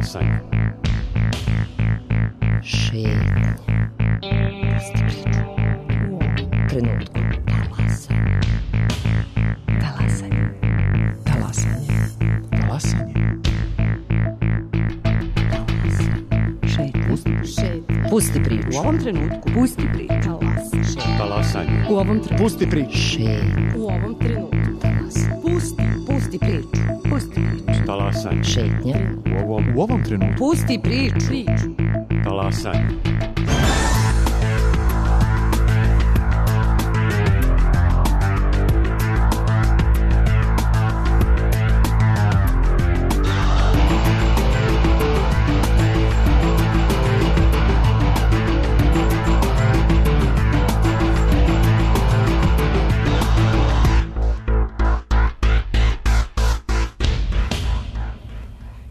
Talasanje. Šetnja. Pusti priču. U ovom trenutku. Talasanje. Talasanje. Talasanje. Šetnja. Pusti priču. U ovom trenutku. Pusti priču. Talasanje. U ovom trenutku. Pusti priču. Šetnja. U ovom trenutku. Pusti priču. Pusti priču. Talasanje. Šetnja. U ovom trenutku. Pusti priču. Talasanje.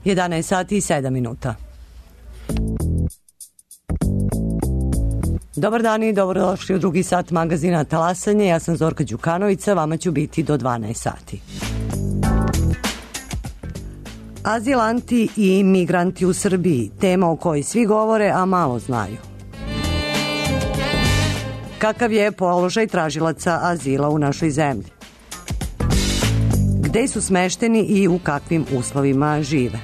Jedanaest sati i 7 minuta. Dobar dan i dobrodošli u drugi sat magazina Talasanje. Ja sam Zorka Đukanovića, vama ću biti do 12 sati. Azilanti i migranti u Srbiji, tema o kojoj svi govore, a malo znaju. Kakav je položaj tražilaca azila u našoj zemlji? Gde su smešteni i u kakvim uslovima žive?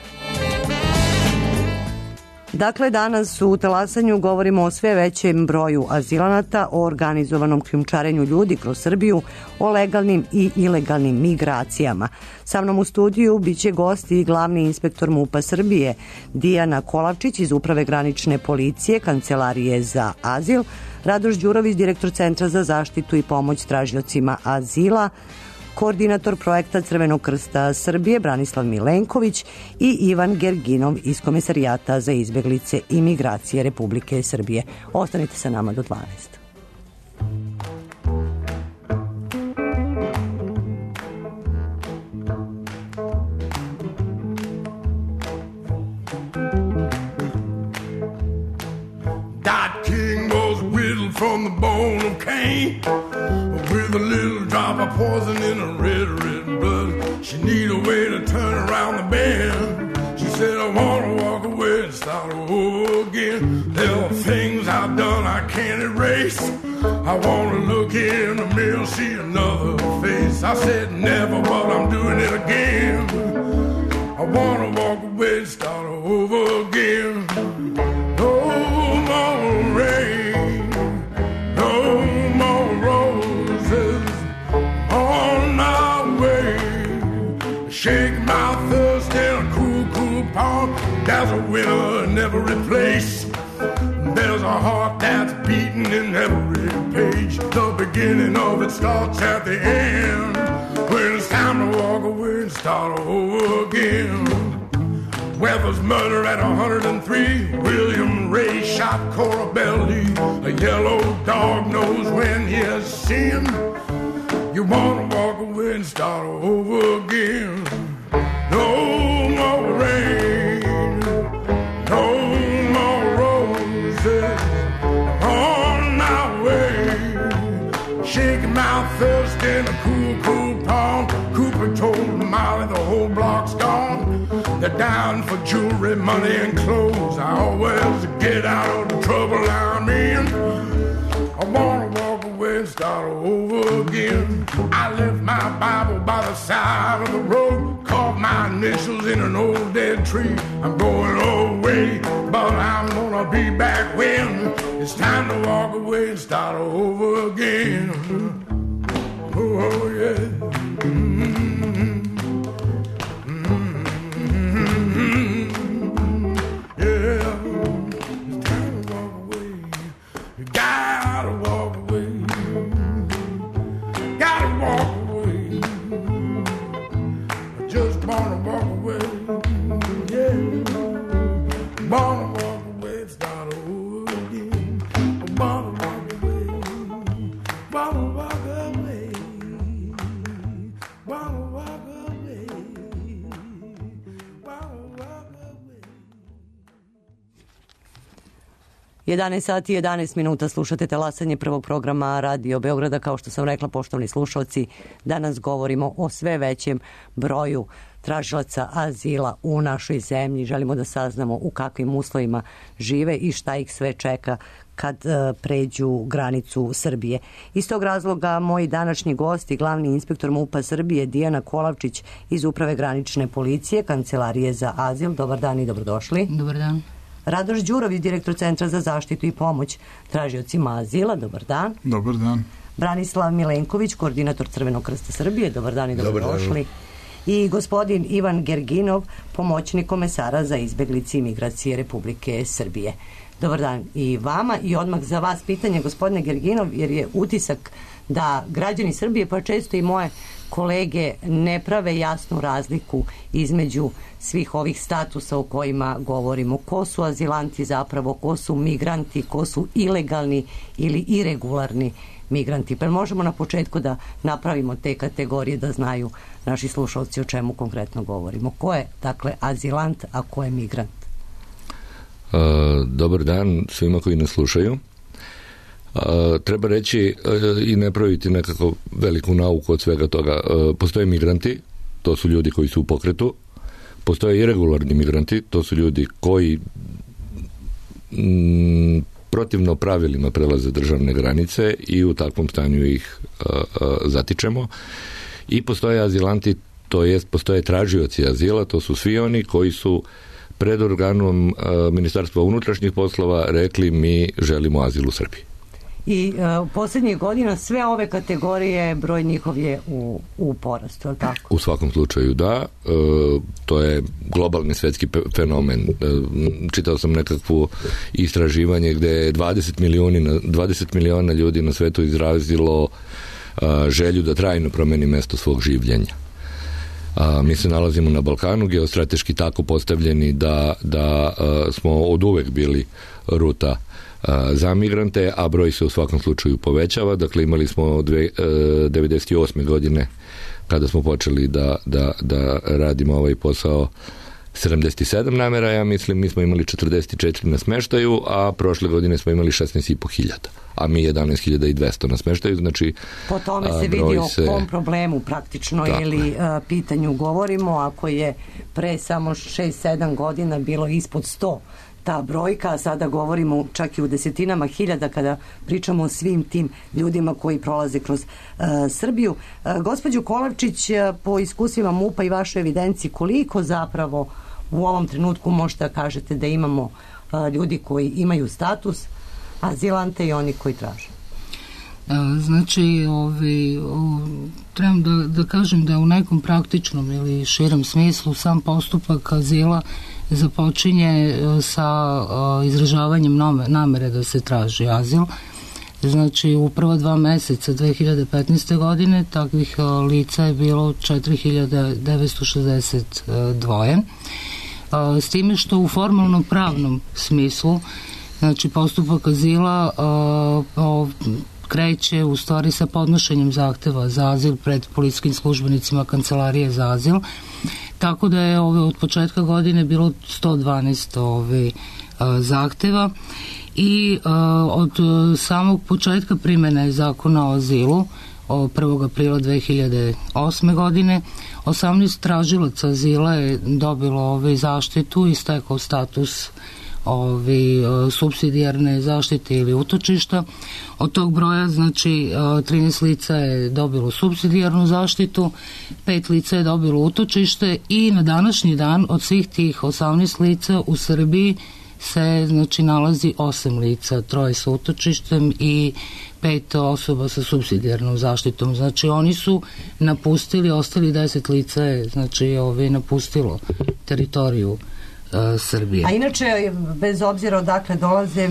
Dakle, danas u Talasanju govorimo o sve većem broju azilanata, o organizovanom krijumčarenju ljudi kroz Srbiju, o legalnim i ilegalnim migracijama. Sa mnom u studiju biće gost i glavni inspektor MUP-a Srbije, Dijana Kolavčić iz Uprave granične policije, Kancelarije za azil, Radoš Đurović, direktor Centra za zaštitu i pomoć tražiocima azila, koordinator projekta Crvenog krsta Srbije Branislav Milenković i Ivan Gerginov iz Komesarijata za izbeglice i migracije Republike Srbije. Ostanite sa nama do 12. Dot King was whittled from the bone of Cain, with a little drop of poison in her red, red blood. She need a way to turn around the bend. She said, I want to walk away and start over again. There are things I've done I can't erase. I want to look in the mirror, see another face. I said never, but I'm doing it again. I want to walk away and start over again. No more rain, no more roses on our way. Shake my thirst in a cool, cool pond. There's a winner in every place. There's a heart that's beating in every page. The beginning of it starts at the end, when it's time to walk away and start over again. Weather's murder at 103. William Ray shot Cora Belly. A yellow dog knows when he has sinned. You wanna walk away and start over again. No more rain, no more roses on our way. Shaking my thirst in a cool, cool pond. Cooper told Molly the whole block's gone. They're down for jewelry, money, and clothes. I always get out of the trouble I'm in. I wanna walk away and start over again. I left my Bible by the side of the road, carved my initials in an old dead tree. I'm going away, but I'm gonna be back when it's time to walk away and start over again. Oh yeah. Jedanaest sati i 11 minuta, slušate Talasanje prvog programa Radio Beograda. Kao što sam rekla, poštovani slušalci, danas govorimo o sve većem broju tražilaca azila u našoj zemlji. Želimo da saznamo u kakvim uslovima žive i šta ih sve čeka kad pređu granicu Srbije. Iz tog razloga moji današnji gosti, glavni inspektor MUP-a Srbije Dijana Kolavčić iz Uprave granične policije, Kancelarije za azil. Dobar dan i dobrodošli. Dobar dan. Radoš Đurović, direktor Centra za zaštitu i pomoć tražiocima azila. Dobar dan. Dobar dan. Branislav Milenković, koordinator Crvenog krsta Srbije. Dobar dan i dobrodošli. I gospodin Ivan Gerginov, pomoćnik komesara za izbeglice i migracije Republike Srbije. Dobar dan i vama. I odmah za vas pitanje, gospodine Gerginov, jer je utisak da građani Srbije, pa često i moje kolege, ne prave jasnu razliku između svih ovih statusa o kojima govorimo. Ko su azilanti zapravo, ko su migranti, ko su ilegalni ili iregularni migranti. Pa možemo na početku da napravimo te kategorije da znaju naši slušalci o čemu konkretno govorimo. Ko je, dakle, azilant, a ko je migrant? Dobar dan svima koji nas slušaju. Treba reći i ne praviti nekako veliku nauku od svega toga. Postoje migranti, to su ljudi koji su u pokretu. Postoje iregularni migranti, to su ljudi koji protivno pravilima prelaze državne granice i u takvom stanju ih zatičemo. I postoje azilanti, to jest postoje tražioci azila, to su svi oni koji su pred organom Ministarstva unutrašnjih poslova rekli mi želimo azil u Srbiji. I posljednjih godina sve ove kategorije, broj njihov je u porastu, je li tako? U svakom slučaju da, to je globalni svetski fenomen. Čitao sam nekakvu istraživanje gde je 20 miliona ljudi na svetu izrazilo želju da trajno promeni mesto svog življenja. Mi se nalazimo na Balkanu, geostrateški tako postavljeni da smo od uvek bili ruta za migrante, a broj se u svakom slučaju povećava. Dakle, imali smo 98. godine kada smo počeli da radimo ovaj posao 77 namera, ja mislim, mi smo imali 44 na smeštaju, a prošle godine smo imali 16.500, a mi 11.200 na smeštaju, znači po tome se vidi o kom problemu praktično tako, ili pitanju govorimo, ako je pre samo 6-7 godina bilo ispod 100 ta brojka, a sada govorimo čak i u desetinama hiljada kada pričamo o svim tim ljudima koji prolaze kroz Srbiju. Gospođo Kolavčić, po iskustvima MUP-a i vašoj evidenciji, koliko zapravo u ovom trenutku možete da kažete da imamo ljudi koji imaju status azilante i oni koji traže? Znači, trebam da kažem da u nekom praktičnom ili širem smislu sam postupak azila započinje sa izražavanjem namere da se traži azil. Znači, u prva 2 meseca 2015. godine takvih lica je bilo 4.962. S time što u formalno pravnom smislu, znači, postupak azila kreće u stvari sa podnošenjem zahteva za azil pred policijskim službenicima Kancelarije za azil, tako da je od početka godine bilo 112 zahteva i od samog početka primene zakona o azilu 1. aprila 2008. godine 18 tražilaca azila je dobilo zaštitu i stekao status supsidijarne zaštite ili utočišta. Od tog broja, znači, 13 lica je dobilo supsidijarnu zaštitu, 5 lica je dobilo utočište i na današnji dan od svih tih 18 lica u Srbiji se, znači, nalazi 8 lica, 3 sa utočištem i 5 osoba sa supsidijarnom zaštitom. Znači, oni su napustili, ostali 10 lica je, znači, napustilo teritoriju Srbije. A inače, bez obzira odakle dolaze,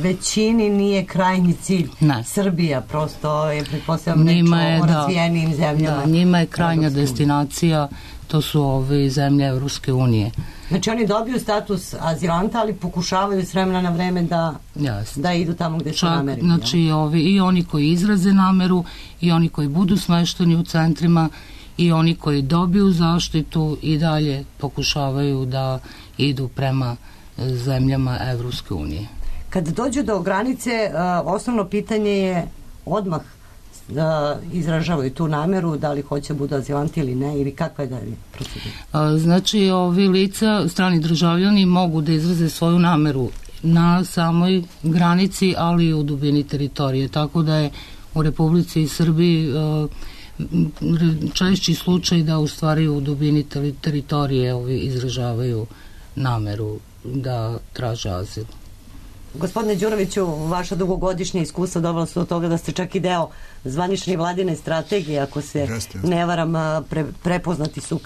većini nije krajnji cilj Srbija, prosto je, pretpostavljam, nečo o razvijenim zemljama. Da, njima je krajnja destinacija, to su zemlje Evropske unije. Znači, oni dobiju status azilanta, ali pokušavaju s vremena na vreme da idu tamo gde su nameri. Znači, i oni koji izraze nameru, i oni koji budu smešteni u centrima, i oni koji dobiju zaštitu i dalje pokušavaju da idu prema zemljama Evropske unije. Kad dođu do granice, osnovno pitanje je odmah izražavaju tu nameru, da li hoće budu azilanti ili ne, ili kakva je dalje procedura? Znači, ovi lica, strani državljani mogu da izraze svoju nameru na samoj granici, ali i u dubini teritorije, tako da je u Republici Srbiji češći slučaj da u stvari u dubini teritorije ovi izražavaju nameru da traže azil. Gospodine Đuroviću, vaša dugogodišnja iskustva dovela su do toga da ste čak i deo zvanične vladine strategije, ako se ne varam, prepoznati su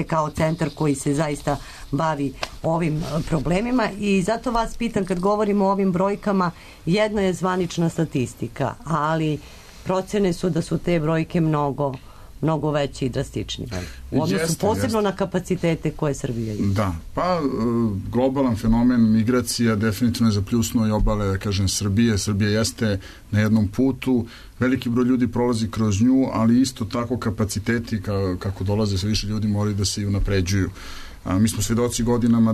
kao centar koji se zaista bavi ovim problemima, i zato vas pitam, kad govorimo o ovim brojkama, jedno je zvanična statistika, ali procene su da su te brojke mnogo veće i drastičnije. U odnosu posebno na kapacitete koje Srbija ima. Da, pa globalan fenomen migracija definitivno je zapljusnuo i obale, da kažem, Srbije. Srbija jeste na jednom putu, veliki broj ljudi prolazi kroz nju, ali isto tako kapaciteti kako dolaze sve više ljudi moraju da se i unapređuju. Mi smo svedoci godinama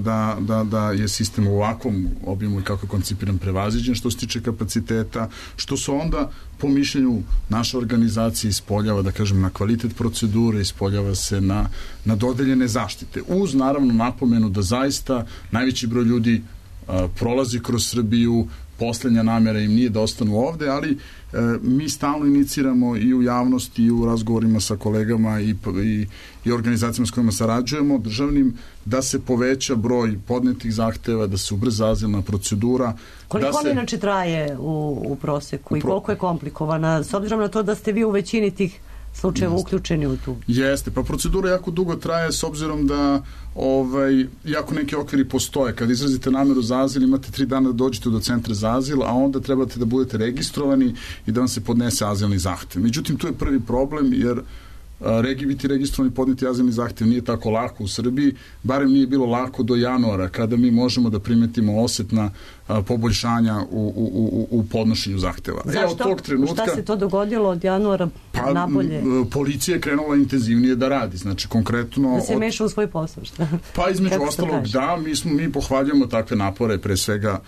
da je sistem u ovakvom obimu i kako je koncipiran prevaziđen što se tiče kapaciteta, što se onda po mišljenju naše organizacije ispoljava, da kažem, na kvalitet procedure, ispoljava se na dodeljene zaštite. Uz, naravno, napomenu da zaista najveći broj ljudi prolazi kroz Srbiju, poslednja namera im nije da ostanu ovde, ali mi stalno iniciramo i u javnosti i u razgovorima sa kolegama i organizacijama s kojima sarađujemo, državnim, da se poveća broj podnetih zahteva, da se ubrza azilna procedura. Koliko on inače traje u proseku i koliko je komplikovana, s obzirom na to da ste vi u većini tih slučajeva uključeni u tu? Jeste, pa procedura jako dugo traje s obzirom da jako neki okviri postoje. Kad izrazite nameru za azil, imate 3 dana da dođete do centra za azil, a onda trebate da budete registrovani i da vam se podnese azilni zahtev. Međutim, tu je prvi problem, jer biti registrovani i podneti azilni zahtev nije tako lako u Srbiji, barem nije bilo lako do januara, kada mi možemo da primetimo osetna poboljšanja u podnošenju zahteva. Zašto? Od tog trenutka, šta se to dogodilo od januara nabolje? Policija je krenula intenzivnije da radi, znači konkretno... Da se meša u svoj posao, šta? Pa između ostalog, da, mi pohvaljujemo takve napore, pre svega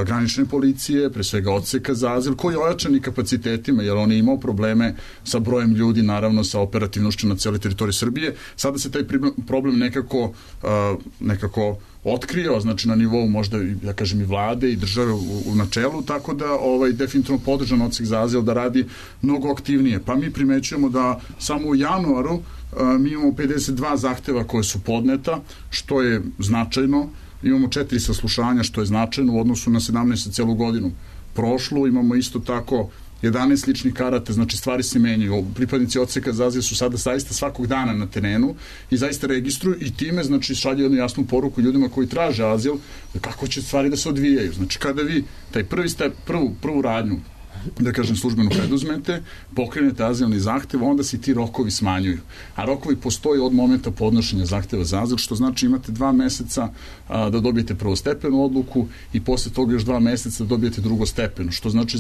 granične policije, pre svega odseka za azil, koji je ojačani kapacitetima, jer on je imao probleme sa brojem ljudi, naravno sa operativnošću na cijeloj teritoriji Srbije. Sada se taj problem nekako otkrio, znači na nivou možda, da kažem, i vlade i države u načelu, tako da definitivno podržan odsek za azil da radi mnogo aktivnije. Pa mi primećujemo da samo u januaru mi imamo 52 zahteva koje su podneta, što je značajno. Imamo 4 saslušanja, što je značajno u odnosu na 17 celu godinu prošlu. Imamo isto tako 11 ličnih karata, znači stvari se menjaju. Pripadnici odseka za azil su sada zaista svakog dana na terenu i zaista registruju i time, znači, šalju jednu jasnu poruku ljudima koji traže azil, kako će stvari da se odvijaju. Znači, kada vi taj prvi step, prvu radnju, da kažem, službeno preduzmete, pokrenete azilni zahtev, onda se ti rokovi smanjuju. A rokovi postoje od momenta podnošenja zahteva za azil, što znači imate 2 meseca da dobijete prvostepenu odluku i posle toga još 2 meseca da dobijete drugostepenu, što znači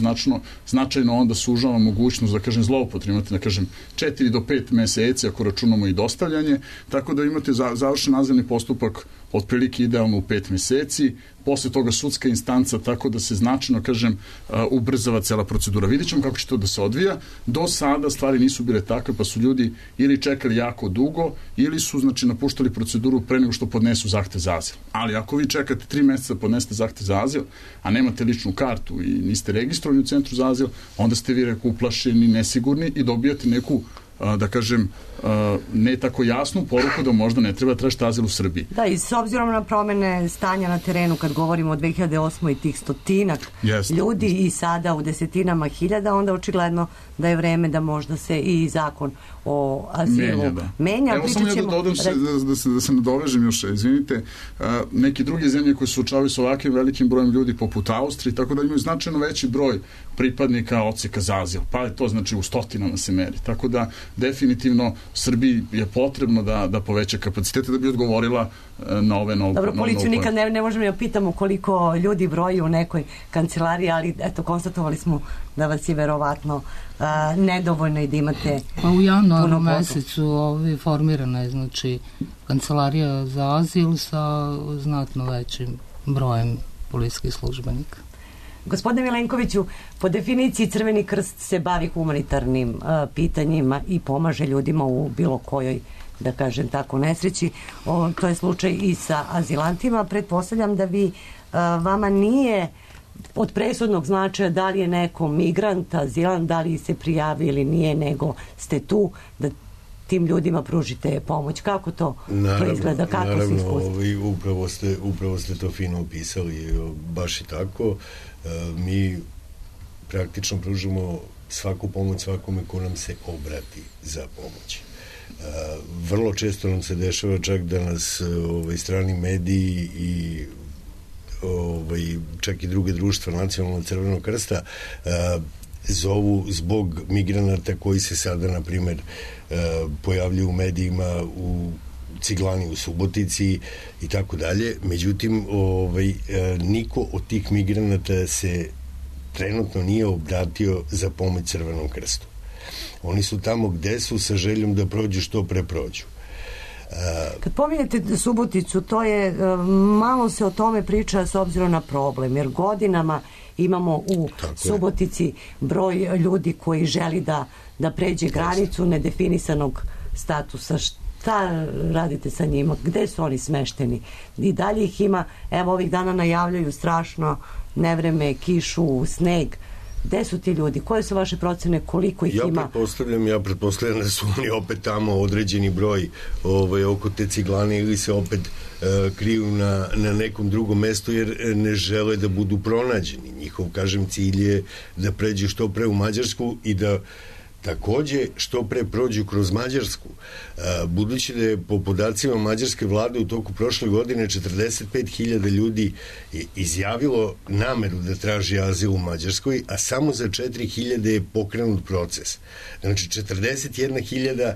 značajno onda sužava mogućnost, da kažem, zloupotrebe. Imate, da kažem, 4 do 5 meseci ako računamo i dostavljanje, tako da imate završen azilni postupak otprilike idealno u 5 meseci, posle toga sudska instanca, tako da se značajno, kažem, ubrzava cela procedura. Vidjet ćemo kako će to da se odvija. Do sada stvari nisu bile takve, pa su ljudi ili čekali jako dugo, ili su, znači, napuštali proceduru pre nego što podnesu zahtev za azil. Ali ako vi čekate 3 meseca da podnesete zahtev za azil, a nemate ličnu kartu i niste registrovani u centru za azil, onda ste vi uplašeni, nesigurni i dobijate neku, da kažem, ne tako jasnu poruku da možda ne treba tražiti azil u Srbiji. Da, i s obzirom na promene stanja na terenu, kad govorimo o 2008. i tih 100-ak ljudi i sada u desetinama hiljada, onda očigledno da je vreme da možda se i zakon o azilu menja. Evo samo ja da dodam da se nadovežem još, izvinite, neke druge zemlje koje se suočavaju sa ovakvim velikim brojem ljudi poput Austrije, tako da imaju značajno veći broj pripadnika odseka za azil, pa je to, znači, u stotinama se meri. Tako da definitivno Srbiji je potrebno da poveća kapacitete da bi odgovorila na ove nove. Dobro, policiju nikad ne možemo da pitamo koliko ljudi broji u nekoj kancelariji, ali eto, konstatovali smo da vas je verovatno nedovoljno i da imate pa u januaru mesecu formirana je, znači, kancelarija za azil sa znatno većim brojem policijskih službenika. Gospodine Milenkoviću, po definiciji Crveni krst se bavi humanitarnim pitanjima i pomaže ljudima u bilo kojoj, da kažem tako, nesreći. To je slučaj i sa azilantima. Pretpostavljam da vama nije od presudnog značaja da li je neko migrant, azilant, da li se prijavi ili nije, nego ste tu da tim ljudima pružite pomoć. Kako to izgleda? Kako se iskustva? Upravo ste to fino opisali. Baš i tako. Mi praktično pružimo svaku pomoć svakome ko nam se obrati za pomoć. Vrlo često nam se dešava čak da nas strani mediji i čak i druge društva Nacionalnog Crvenog krsta zovu zbog migranata koji se sada, na primer, pojavljuju u medijima u Ciglani, u Subotici i tako dalje. Međutim, niko od tih migranata se trenutno nije obratio za pomoć Crvenom krstu. Oni su tamo gde su sa željom da prođu što pre prođu. Kad pominjete Suboticu, to je, malo se o tome priča s obzirom na problem, jer godinama imamo u Subotici broj ljudi koji želi da pređe granicu nedefinisanog statusa. Šta radite sa njima? Gde su oni smešteni? I dalje ih ima, evo ovih dana najavljaju strašno nevreme, kišu, sneg. Gde su ti ljudi? Koje su vaše procene? Koliko ih ima? Ja pretpostavljam da su oni opet tamo određeni broj oko te Ciglane ili se opet kriju na nekom drugom mestu jer ne žele da budu pronađeni. Njihov, kažem, cilj je da pređu što pre u Mađarsku i da takođe što pre prođu kroz Mađarsku. Budući da je po podacima mađarske vlade u toku prošle godine 45.000 ljudi izjavilo nameru da traži azil u Mađarskoj, a samo za 4.000 je pokrenut proces. Znači 41.000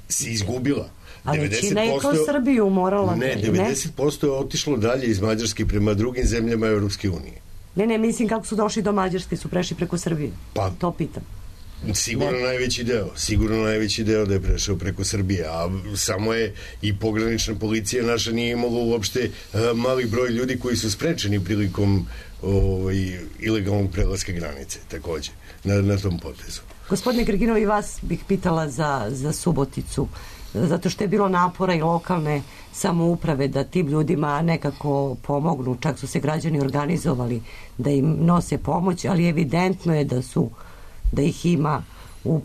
se izgubila. Ali Čina je kroz Srbiju morala... Ne, 90% je otišlo dalje iz Mađarske prema drugim zemljama Evropske unije. Ne, mislim kako su došli do Mađarske, su prešli preko Srbije. Pa, to pitam. Sigurno najveći deo da je prešao preko Srbije, a samo je i pogranična policija naša nije imala uopšte mali broj ljudi koji su sprečeni prilikom ilegalnog prelaska granice, takođe, na tom potezu. Gospodine Grginov, i vas bih pitala za Suboticu, zato što je bilo napora i lokalne samouprave da tim ljudima nekako pomognu, čak su se građani organizovali da im nose pomoć, ali evidentno je da ih ima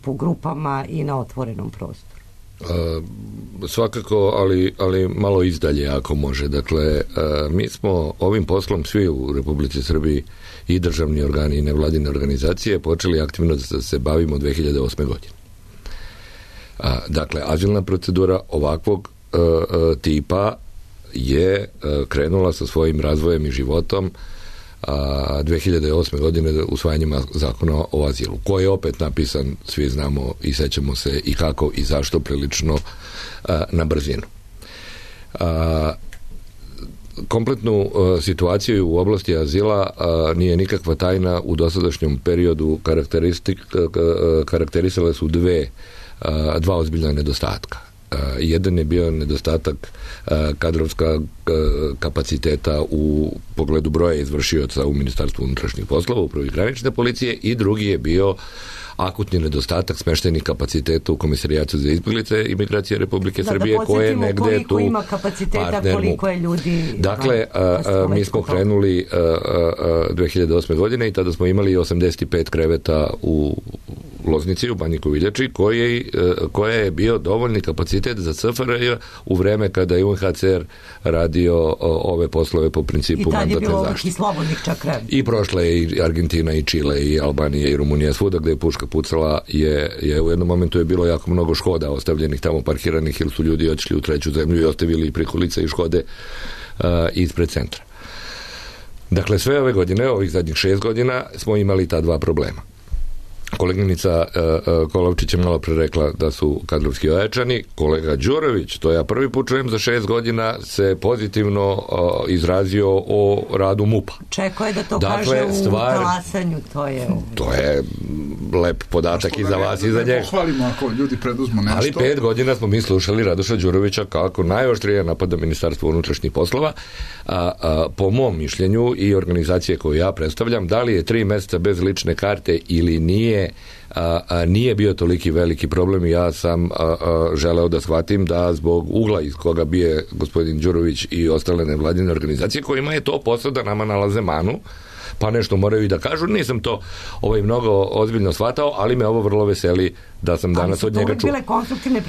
po grupama i na otvorenom prostoru. Svakako, ali malo izdalje ako može. Dakle, mi smo ovim poslom svi u Republici Srbiji i državni organi i nevladine organizacije počeli aktivno da se bavimo 2008. godine. Dakle, azilna procedura ovakvog tipa je krenula sa svojim razvojem i životom 2008. godine usvajanjem zakona o azilu, koji je opet napisan, svi znamo i sećamo se i kako i zašto, prilično na brzinu. Kompletnu situaciju u oblasti azila nije nikakva tajna. U dosadašnjem periodu karakterisale su dva ozbiljna nedostatka. Jedan je bio nedostatak kadrovska kapaciteta u pogledu broja izvršioca u Ministarstvu unutrašnjih poslova, upravi granične policije, i drugi je bio akutni nedostatak smeštenih kapaciteta u Komisarijatu za izbjeglice i migracije Republike Srbije, koje je negde tu ima kapaciteta, koliko je ljudi. Dakle, mi smo krenuli 2008. godine i tada smo imali 85 kreveta u Loznici, u Banji Koviljači, koja je bio dovoljni kapacitet za SFRJ u vreme kada je UNHCR radio ove poslove po principu mandatne zaštite. I tad je bilo ovih i slobodnih čak kreveta. I prošla je i Argentina i Čile i Albanija i Rumunija, svuda gde je puška pucala je u jednom momentu je bilo jako mnogo Škoda ostavljenih tamo parkiranih, jer su ljudi otišli u treću zemlju i ostavili prikolice i Škode ispred centra. Dakle, sve ove godine, ovih zadnjih 6 godina, smo imali ta dva problema. koleginica Kolovčić je malo pre rekla da su kadrovski ojačani. Kolega Đurović, to ja prvi put čujem za 6 godina, se pozitivno izrazio o radu MUP-a. Čekao je da to kaže u Talasanju, to je lep podatak i za vas i za njega. Pohvalimo ako ljudi preduzmu nešto. Ali 5 godina smo mi slušali Radoša Đurovića kako najoštrije napada Ministarstvo unutrašnjih poslova. Po mom mišljenju i organizacije koju ja predstavljam, da li je 3 meseca bez lične karte ili nije bio toliki veliki problem i ja sam želeo da shvatim da zbog ugla iz koga bije gospodin Đurović i ostale nevladine organizacije kojima je to posao da nama nalaze manu, pa nešto moraju i da kažu. Nisam to mnogo ozbiljno shvatao, ali me ovo vrlo veseli da sam danas od njega čuo. Ali su to bile konstruktivne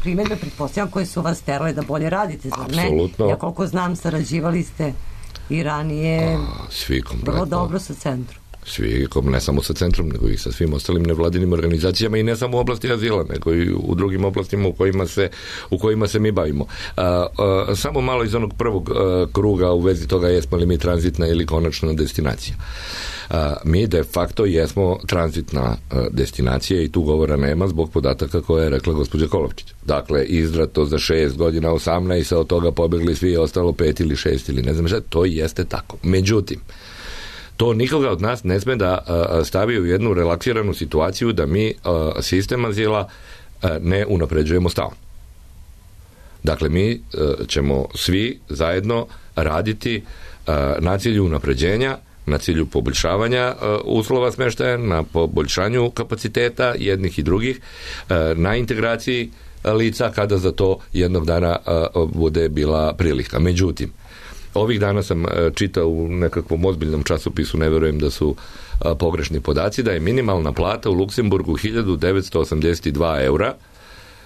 primjedbe, pretpostavljam, koje su vas terale da bolje radite, zar ne? Apsolutno. Ja koliko znam, sarađivali ste i ranije vrlo dobro sa centrom. Svi, ne samo sa centrom, nego i sa svim ostalim nevladinim organizacijama i ne samo u oblasti azila, nego i u drugim oblastima u kojima se mi bavimo. Samo malo iz onog prvog kruga u vezi toga jesmo li mi tranzitna ili konačna destinacija. Mi de facto jesmo tranzitna destinacija i tu govora nema zbog podataka koje je rekla gospođa Kolovčić. Dakle, izdrato za 6 godina 18, a od toga pobegli svi, ostalo 5 ili 6 ili ne znam šta, to jeste tako. Međutim, to nikoga od nas ne sme da stavi u jednu relaksiranu situaciju da mi sistem azila ne unapređujemo stalno. Dakle, mi ćemo svi zajedno raditi na cilju unapređenja, na cilju poboljšavanja uslova smeštaja, na poboljšanju kapaciteta jednih i drugih, na integraciji lica kada za to jednog dana bude bila prilika. Međutim, ovih dana sam čitao u nekakvom ozbiljnom časopisu, ne verujem da su pogrešni podaci, da je minimalna plata u Luksemburgu 1982 eura,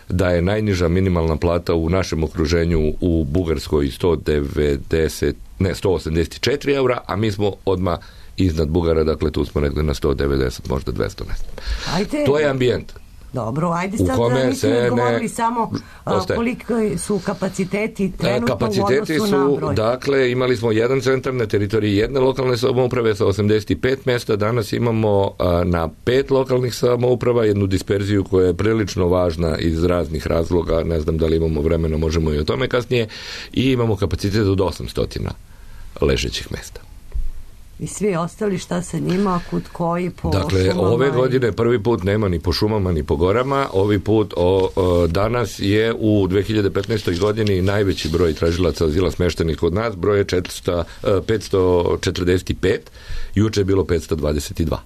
da je najniža minimalna plata u našem okruženju u Bugarskoj 184 eura, a mi smo odmah iznad Bugara, dakle tu smo negde na 190, možda 200 mesta. To je ambijent. Dobro, ajde sad da nismo odgovorili samo koliko su kapaciteti trenutno u odnosu na broj. Dakle, imali smo jedan centar na teritoriji jedne lokalne samouprave sa 85 mesta, danas imamo na 5 lokalnih samouprava jednu disperziju koja je prilično važna iz raznih razloga, ne znam da li imamo vremena, možemo i o tome kasnije, i imamo kapacitet od 800 ležećih mesta. I svi ostali, šta sa njima, kud koji, po dakle, šumama? Ove godine prvi put nema ni po šumama, ni po gorama. Ovi put danas je u 2015. godini najveći broj tražilaca azila smeštenih kod nas. Broj je 545, juče je bilo 522.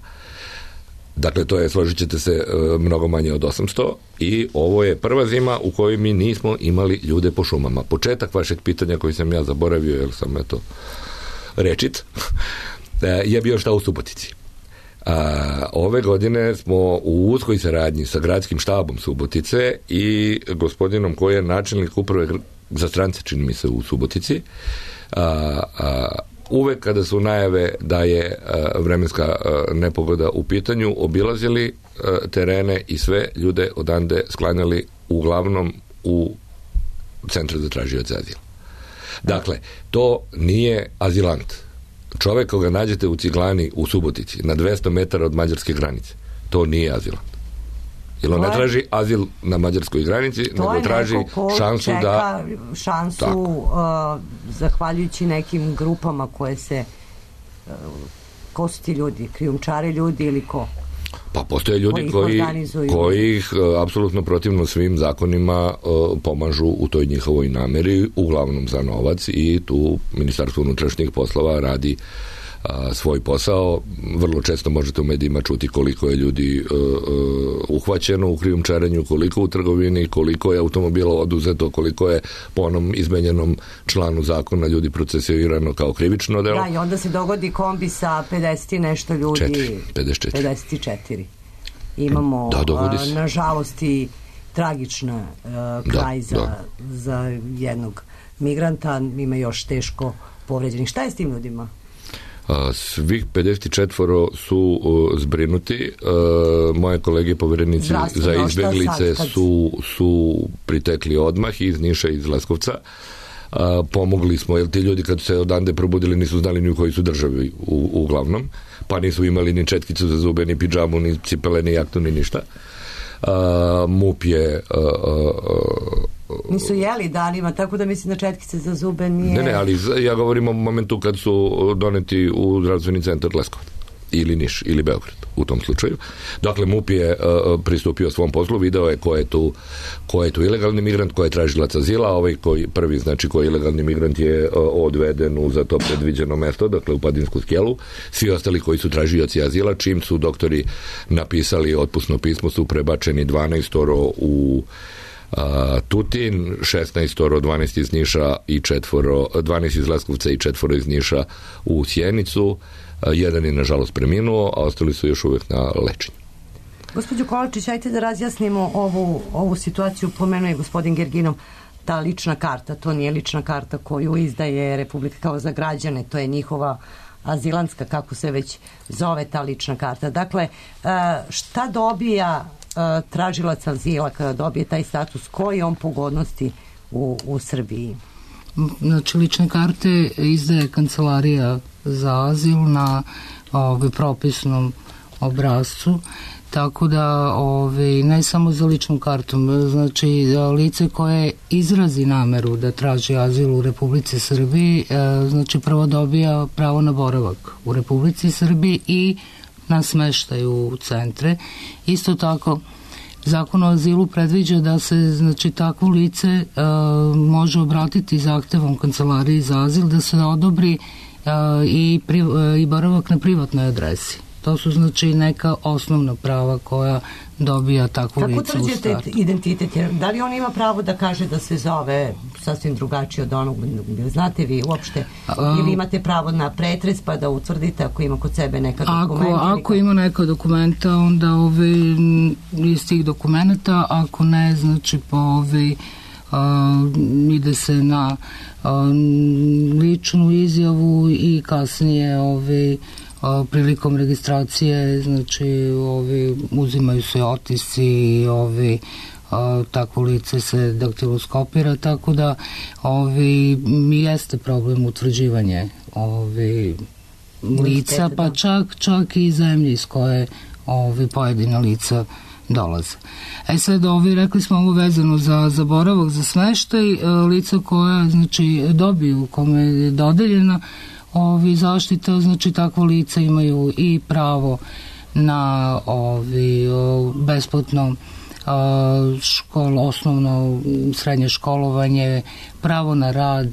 Dakle, to je, složit ćete se, mnogo manje od 800 i ovo je prva zima u kojoj mi nismo imali ljude po šumama. Početak vašeg pitanja koji sam ja zaboravio, jer sam rečit, je bio šta u Subotici. Ove godine smo u uskoj saradnji sa gradskim štabom Subotice i gospodinom koji je načelnik uprave za strance, čini mi se, u Subotici, uvek kada su najave da je vremenska nepogoda u pitanju, obilazili terene i sve ljude odande sklanjali uglavnom u centru za tražioce azila. Dakle, to nije azilant. Čovek koga nađete u Ciglani u Subotici na 200 metara od mađarske granice, to nije azilant. Jer on ne traži azil na mađarskoj granici, nego traži šansu da... šansu zahvaljujući nekim grupama koje se... Ko su ti ljudi? Krijumčari ljudi ili ko? Pa postoje ljudi koji ih apsolutno protivno svim zakonima pomažu u toj njihovoj nameri, uglavnom za novac, i tu Ministarstvo unutrašnjih poslova radi svoj posao. Vrlo često možete u medijima čuti koliko je ljudi uhvaćeno u krijumčarenju, koliko u trgovini, koliko je automobila oduzeto, koliko je po onom izmenjenom članu zakona ljudi procesuirano kao krivično delo. Da, i onda se dogodi kombi sa 50 nešto ljudi. 54. Imamo, nažalost, i tragična kraj za jednog migranta, ima još teško povređenih. Šta je s tim ljudima? Svih 54 su zbrinuti. Moje kolege poverenici za izbeglice su pritekli odmah iz Niša i iz Leskovca. pomogli smo, jer ti ljudi kad su se odande probudili nisu znali ni u kojoj su državi uglavnom, pa nisu imali ni četkicu za zube, ni pidžamu, ni cipele, ni jaknu, ni ništa. MUP je nisu jeli danima, tako da mislim da četkice za zube nije... Ne, ali ja govorim o momentu kad su doneti u zdravstveni centar Leskovac ili Niš ili Beograd u tom slučaju. Dakle, MUP je pristupio svom poslu, video je ko je tu ilegalni migrant, ko je tražilac azila, ovaj prvi, znači koji je ilegalni migrant je odveden u za to predviđeno mesto, dakle u Padinsku skelu. Svi ostali koji su tražioci azila, čim su doktori napisali otpusno pismo, su prebačeni 12 u Tutin, 16, 12 iz Niša i 12 iz Leskovca i 4 iz Niša u Sjenicu. Jedan je nažalost preminuo, a ostali su još uvijek na lečenju. Gospođo Kolačić, ajte da razjasnimo ovu situaciju. Pomenuje gospodin Gerginov, ta lična karta, to nije lična karta koju izdaje Republika kao za građane, to je njihova azilantska, kako se već zove ta lična karta. Dakle, šta dobija tražilac azila kada dobije taj status, koji je on pogodnosti u Srbiji? Znači, lične karte izdaje Kancelarija za azil na propisnom obrascu, tako da ne samo za ličnom kartom, znači lice koje izrazi nameru da traži azil u Republici Srbiji, znači prvo dobija pravo na boravak u Republici Srbiji i na smeštaj u centre. Isto tako, Zakon o azilu predviđa da se, znači, takvo lice može obratiti zahtevom Kancelariji za azil da se odobri i boravak na privatnoj adresi. To su, znači, neka osnovna prava koja dobija takvo lice u startu. Kako utvrđujete identitet? Da li on ima pravo da kaže da se zove sasvim drugačije od onog, znate vi uopšte, ili imate pravo na pretres pa da utvrdite ako ima kod sebe neka dokumenta? Ako ima neka dokumenta, onda iz tih dokumenta, ako ne, znači ide se na ličnu izjavu i kasnije prilikom registracije, znači uzimaju se otisci, takvo lice se daktiloskopira, tako da jeste problem utvrđivanje lica, pa čak i zemlje iz koje pojedina lica dolaze. Sad rekli smo ovo vezano za boravak, za smeštaj, lica koja, znači, dobiju, kome je dodeljena zaštita, znači takvo lica imaju i pravo na besplatno osnovno srednje školovanje, pravo na rad,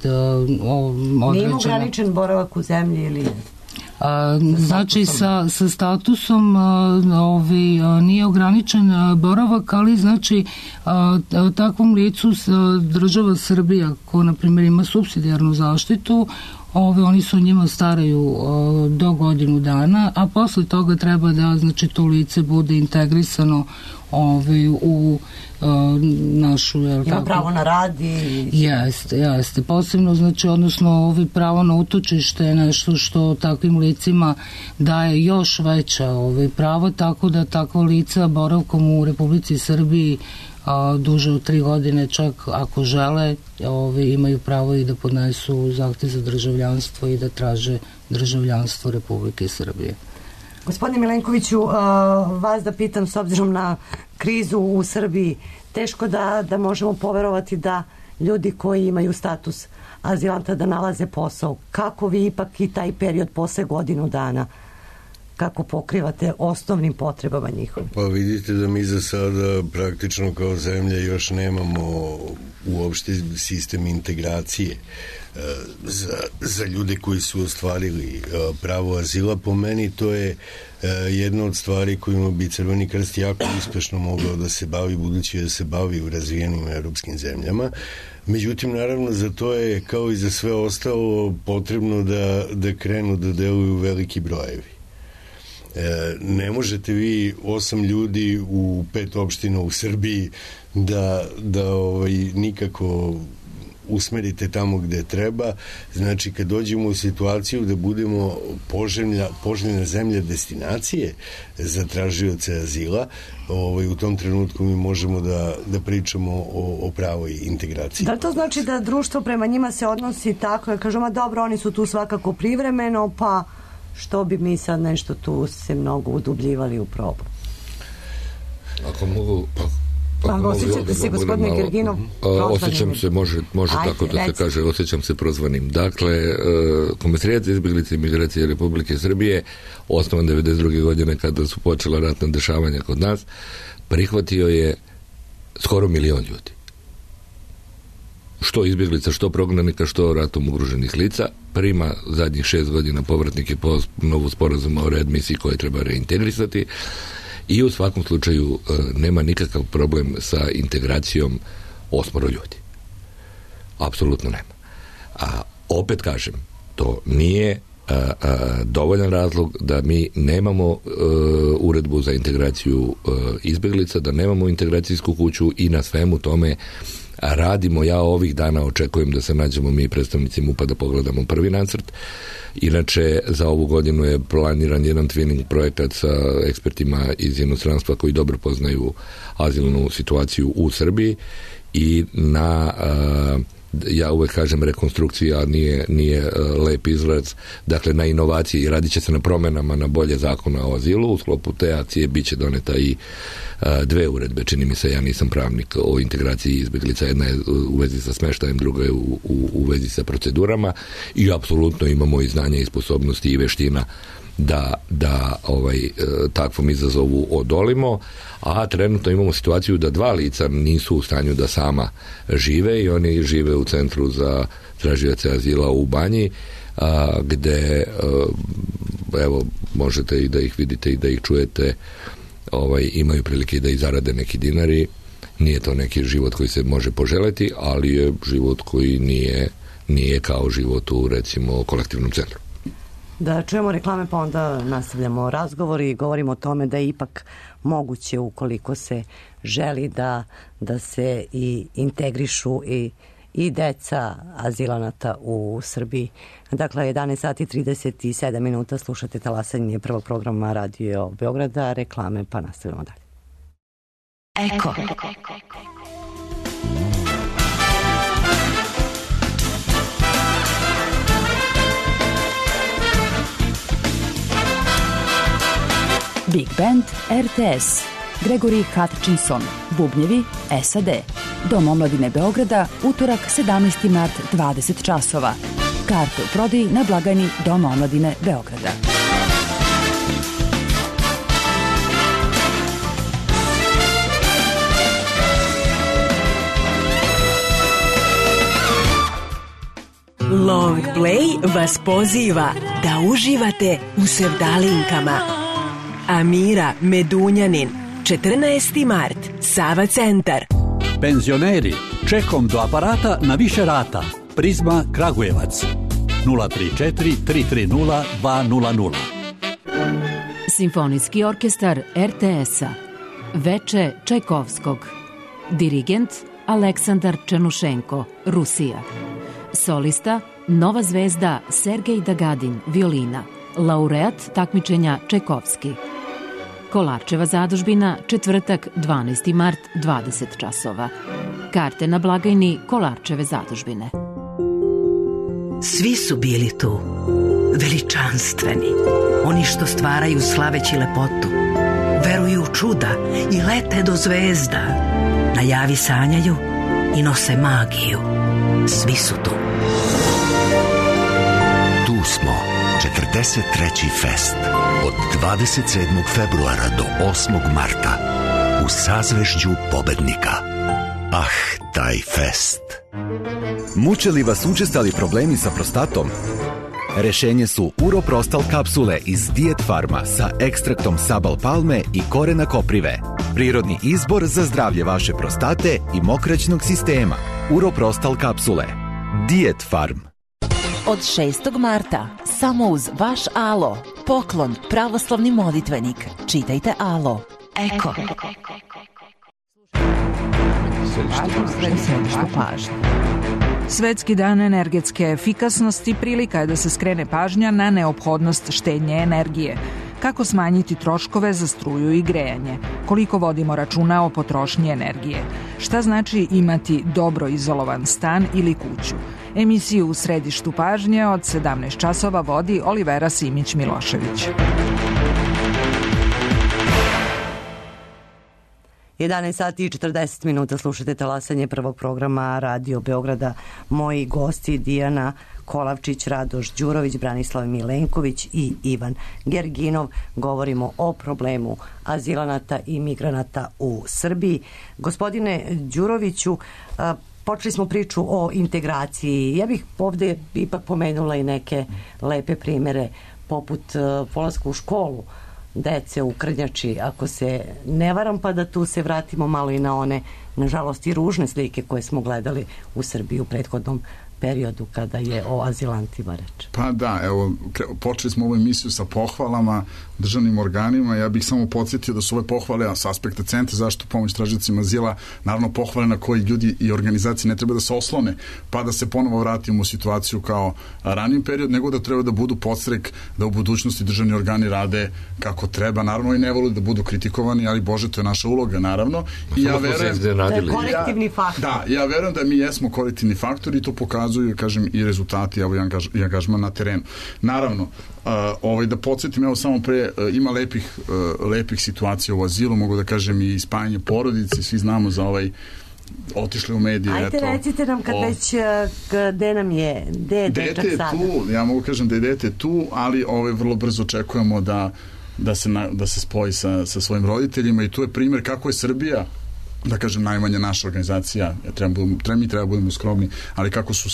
određena. Nije ograničen boravak u zemlji ili... Znači sa statusom nije ograničen boravak, ali znači takvom licu država Srbija, ko na primjer ima supsidijarnu zaštitu, oni su njima staraju do godinu dana, a posle toga treba da, znači, to lice bude integrisano u našu... Ima pravo na rad i... Jeste. Posebno, znači, odnosno, pravo na utočište je nešto što takvim licima daje još veća prava, tako da takva lica boravkom u Republici Srbiji duže od 3 godine, čak ako žele, imaju pravo i da podnesu zahtev za državljanstvo i da traže državljanstvo Republike Srbije. Gospodine Milenkoviću, vas da pitam, s obzirom na krizu u Srbiji, teško da možemo poverovati da ljudi koji imaju status azilanta da nalaze posao. Kako vi ipak i taj period posle godinu dana, kako pokrivate osnovnim potrebama njihovim? Pa vidite da mi za sada praktično kao zemlja još nemamo uopšte sistem integracije za ljude koji su ostvarili pravo azila. Po meni to je jedna od stvari kojima bi Crveni krst jako uspešno mogao da se bavi, budući da se bavi u razvijenim evropskim zemljama. Međutim, naravno, za to je, kao i za sve ostalo, potrebno da krenu da deluju veliki brojevi. Ne možete vi 8 ljudi u 5 opština u Srbiji da nikako usmerite tamo gde treba. Znači, kad dođemo u situaciju da budemo poželjna zemlja destinacije za tražioce azila, u tom trenutku mi možemo da pričamo o pravoj integraciji. Da li to znači da društvo prema njima se odnosi tako, da kažemo, dobro, oni su tu svakako privremeno, pa što bi mi sad nešto tu se mnogo udubljivali u problem? Ako mogu... osjećate se, gospodine Gerginov, osjećam se, može tako da se kaže, osjećam se prozvanim. Dakle, Komesarijat za izbjeglice i migracije Republike Srbije, osnovan 92. godine kada su počela ratna dešavanja kod nas, prihvatio je skoro 1 milion ljudi. Što izbjeglica, što prognanika, što ratom ugroženih lica, prima zadnjih 6 godina povratnike po novu sporazuma o readmisiji koje treba reintegrisati. I u svakom slučaju nema nikakav problem sa integracijom 8 ljudi. Apsolutno nema. A opet kažem, to nije dovoljan razlog da mi nemamo uredbu za integraciju izbjeglica, da nemamo integracijsku kuću i na svemu tome radimo. Ja ovih dana očekujem da se nađemo mi predstavnici MUP-a da pogledamo prvi nacrt. Inače, za ovu godinu je planiran jedan twinning projekat sa ekspertima iz inostranstva koji dobro poznaju azilnu situaciju u Srbiji i na ja uvek kažem rekonstrukcija, nije lep izraz, dakle na inovaciji, radit će se na promenama na bolje zakona o azilu. U sklopu te akcije bit će doneta i 2 uredbe, čini mi se, ja nisam pravnik, o integraciji izbjeglica. Jedna je u vezi sa smeštajem, druga je u vezi sa procedurama i apsolutno imamo i znanja i sposobnosti i veština da takvom izazovu odolimo, a trenutno imamo situaciju da 2 lica nisu u stanju da sama žive i oni žive u centru za tražioce azila u Banji, gde evo, možete i da ih vidite i da ih čujete, imaju prilike da i zarade neki dinari. Nije to neki život koji se može poželeti, ali je život koji nije kao život u, recimo, kolektivnom centru. Da čujemo reklame, pa onda nastavljamo razgovor i govorimo o tome da je ipak moguće, ukoliko se želi, da se i integrišu i deca azilanata u Srbiji. Dakle, 11 sati 37 minuta, slušate Talasanje prvog programa Radio Beograda, reklame, pa nastavljamo dalje. Eko. Big Band RTS, Gregory Hutchinson, bubnjevi SAD. Dom omladine Beograda, utorak 17. mart 20 časova. Karte u prodaji na blagajni Doma omladine Beograda. Long Play vas poziva da uživate u sevdalinkama. Amira Medunjanin, 14. mart, Sava centar. Penzioneri, čekom do aparata na više rata. Prizma Kragujevac, 034 330 200. Simfonijski orkestar RTS-a, Veče Čajkovskog. Dirigent Aleksandar Černušenko, Rusija. Solista Nova zvezda Sergej Dagadin, violina. Laureat takmičenja Čajkovski. Kolarčeva zadužbina, četvrtak, 12. mart, 20 časova. Karte na blagajni Kolarčeve zadužbine. Svi su bili tu, veličanstveni, oni što stvaraju slaveći lepotu, veruju u čuda i lete do zvezda, najavi sanjaju i nose magiju. Svi su tu. Tu smo, 43. fest, od 27. februara do 8. marta, u sazvežđu pobednika. Ah, taj fest. Muče li vas učestali problemi sa prostatom? Rešenje su Uroprostal kapsule iz Diet Farma sa ekstraktom sabal palme i korena koprive. Prirodni izbor za zdravlje vaše prostate i mokraćnog sistema. Uroprostal kapsule. Diet Farm. Od 6. marta, samo uz vaš Alo, poklon pravoslavni molitvenik. Čitajte Alo. Eko. Središte pažnje. Svetski dan energetske efikasnosti prilika je da se skrene pažnja na neophodnost štednje energije. Kako smanjiti troškove za struju i grejanje? Koliko vodimo računa o potrošnji energije? Šta znači imati dobro izolovan stan ili kuću? Emisiju U središtu pažnje od 17 časova vodi Olivera Simić-Milošević. 11 sati i 40 minuta slušate talasanje prvog programa Radio Beograda. Moji gosti Dijana Kolavčić, Radoš Đurović, Branislav Milenković i Ivan Gerginov. Govorimo o problemu azilanata i migranata u Srbiji. Gospodine Đuroviću, počeli smo priču o integraciji. Ja bih ovde ipak pomenula i neke lepe primere poput polaska u školu dece u Krnjači, ako se ne varam, pa da tu se vratimo malo i na one, nažalost, i ružne slike koje smo gledali u Srbiji u prethodnom periodu kada je o azilantima reč. Pa da, evo, počeli smo ovu emisiju sa pohvalama državnim organima. Ja bih samo podsjetio da su ove pohvale s aspekta Centra zaštitu pomoć tražiocima azila, naravno pohvale na koji ljudi i organizacije ne treba da se oslone, pa da se ponovo vratimo u situaciju kao raniji period, nego da treba da budu podstrek da u budućnosti državni organi rade kako treba. Naravno i ne vole da budu kritikovani, ali Bože, to je naša uloga, naravno. I ja verujem, to je korektivni faktor. Da, ja verujem da mi jesmo korektivni faktor i to pokazuju, kažem, i rezultati i angažman na terenu. Naravno, da podsjetim, evo samo pre, ima lepih situacija u azilu, mogu da kažem i spajanje porodice, svi znamo za otišli u medije. Ajde, recite nam kad već, gde nam je, gde je dečak sada? Dete je tu, ja mogu kažem da je dete tu, ali vrlo brzo očekujemo da se spoji sa svojim roditeljima i tu je primjer kako je Srbija, da kažem, najmanja naša organizacija, mi treba budemo skromni, ali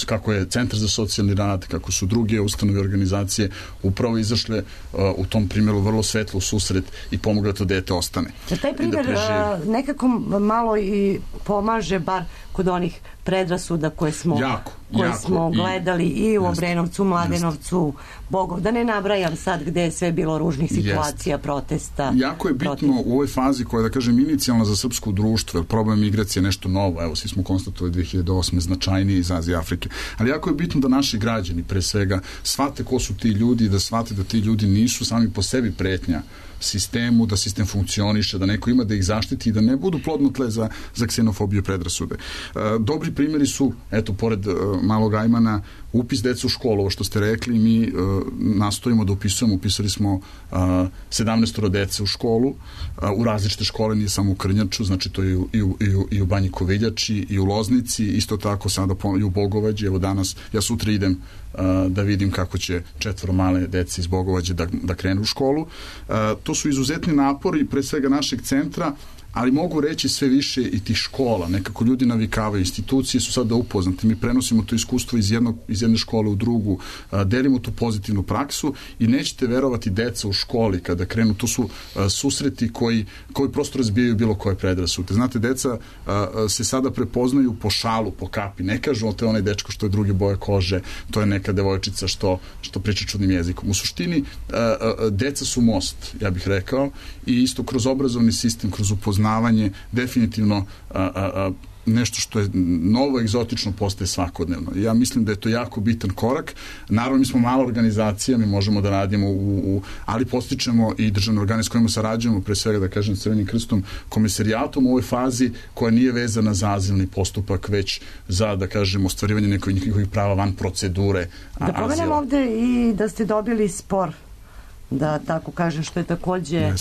kako je Centar za socijalni rad, kako su druge ustanove organizacije upravo izašle u tom primjeru vrlo svetlo u susret i pomogla to dete ostane. Taj primjer nekako malo i pomaže bar kod onih predrasuda koje smo gledali i u Obrenovcu, Mladenovcu, Bogov, da ne nabrajam sad gde je sve bilo ružnih situacija, protesta. Jako je bitno u ovoj fazi koja je, da kažem, inicijalna za srpsko društvo, jer problem migracije je nešto novo, evo, svi smo konstatovali 2008. značajniji iz Azije i Afrike, ali jako je bitno da naši građani, pre svega, shvate ko su ti ljudi i da shvate da ti ljudi nisu sami po sebi pretnja sistemu, da sistem funkcioniše, da neko ima da ih zaštiti i da ne budu plodno tle za ksenofobiju i predrasude. Dobri primjeri su, eto, pored malog Ajmana, upis deca u školu, ovo što ste rekli, mi nastojimo da upisali smo 17 dece u školu, u različite škole, nije samo u Krnjaču, znači to je i u Banji Koviljači, i u Loznici, isto tako sada i u Bogovađi, evo danas, ja sutra idem da vidim kako će 4 male dece iz Bogovađe da krenu u školu. To su izuzetni napori, pre svega našeg centra, ali mogu reći sve više i tih škola. Nekako ljudi navikavaju, institucije su sada upoznate. Mi prenosimo to iskustvo iz jedne škole u drugu, delimo tu pozitivnu praksu i nećete verovati, deca u školi kada krenu, to su susreti koji prosto razbijaju bilo koje predrasude. Znate, deca se sada prepoznaju po šalu, po kapi. Ne kažu, to je onaj dečko što je druge boje kože, to je neka devojčica što priča čudnim jezikom. U suštini, deca su most, ja bih rekao, i isto kroz obrazovni sistem, kroz upoznavanje, definitivno nešto što je novo, egzotično postaje svakodnevno. Ja mislim da je to jako bitan korak. Naravno, mi smo mala organizacija, mi možemo da radimo ali postičemo i državne organe s kojima sarađujemo, pre svega, da kažem, Crvenim krstom, komisarijatom u ovoj fazi koja nije vezana za azilni postupak, već za, da kažem, ostvarivanje njihovih prava van procedure azila. Da pomenem ovde i da ste dobili spor, da tako kažem, što je takođe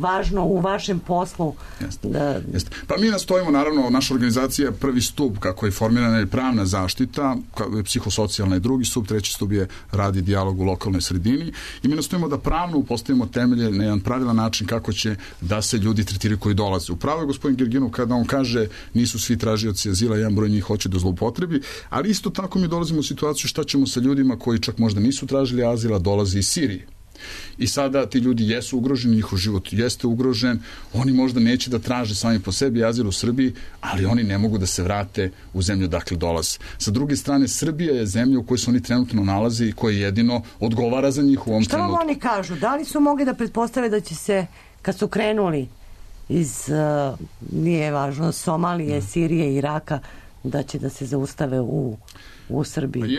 važno u vašem poslu. Jeste. Pa mi nastojimo, naravno, naša organizacija je prvi stup, kako je formirana, je pravna zaštita, psihosocijalna je drugi stup, treći stup je rad i dijalog u lokalnoj sredini i mi nastojimo da pravno postavimo temelje na jedan pravilan način kako će da se ljudi tretiraju koji dolaze. Upravo je gospodin Gerginov kada on kaže nisu svi tražioci azila, jedan broj njih hoće da zloupotrebi, ali isto tako mi dolazimo u situaciju šta ćemo sa ljudima koji čak možda nisu tražili azila, dolaze iz Sirije. I sada ti ljudi jesu ugroženi, njihov život jeste ugrožen, oni možda neće da traže sami po sebi azil u Srbiji, ali oni ne mogu da se vrate u zemlju dakle dolaze. Sa druge strane, Srbija je zemlja u kojoj se oni trenutno nalaze i koja jedino odgovara za njih u ovom trenutku. Šta vam oni kažu? Da li su mogli da pretpostave da će se, kad su krenuli iz, nije važno, Somalije, Sirije, Iraka, da će da se zaustave u Srbiji?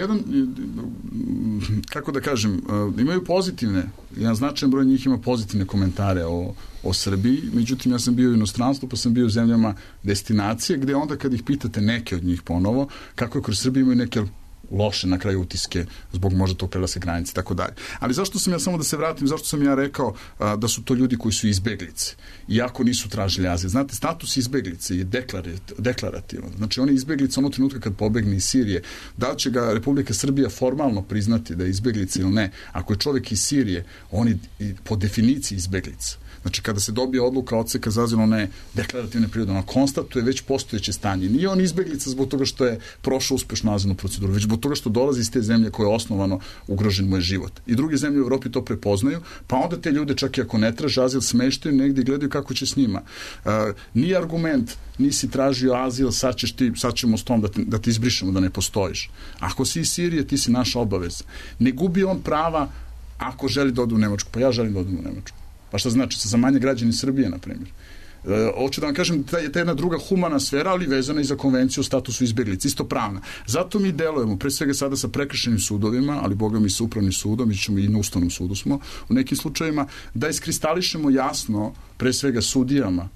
Kako da kažem, imaju pozitivne, jedan značajan broj njih ima pozitivne komentare o Srbiji, međutim ja sam bio u inostranstvu, pa sam bio u zemljama destinacije, gde onda kad ih pitate neke od njih ponovo, kako je kroz Srbiju imaju neke loše na kraju utiske zbog možda tog prelaska granice i tako dalje. Ali zašto sam ja, samo da se vratim, zašto sam ja rekao da su to ljudi koji su izbeglice, iako nisu tražili azil? Znate, status izbeglice je deklarativan. Znači, on je izbeglica onog trenutka kad pobegne iz Sirije. Da li će ga Republika Srbija formalno priznati da je izbeglica ili ne? Ako je čovjek iz Sirije, on je po definiciji izbeglica. Znači, kada se dobije odluka odseka za azil, ona je deklarativne prirode, ona konstatuje već postojeće stanje. Nije on izbeglica zbog toga što je prošao uspešnu azilnu proceduru, već zbog toga što dolazi iz te zemlje koje je osnovano ugrožen mu je život. I druge zemlje u Evropi to prepoznaju, pa onda te ljude, čak i ako ne traže azil, smeštaju negdje i gledaju kako će s njima. Nije argument, nisi tražio azil, sad ćemo s tom da te izbrišemo, da ne postojiš. Ako si iz Sirije, ti si naša obaveza. Ne gubi on prava ako želi da ode u Nemačku. Pa ja želim da odem u Nemačku. Pa šta znači? Za manje građani Srbije, na primjer. Hoću da vam kažem, ta jedna druga humana sfera, ali vezana i za konvenciju o statusu izbeglica, isto pravna. Zato mi delujemo, pre svega sada sa prekršajnim sudovima, ali boga mi sa upravnim sudom, mi ćemo i na ustavnom sudu smo u nekim slučajevima, da iskristališemo jasno, pre svega sudijama,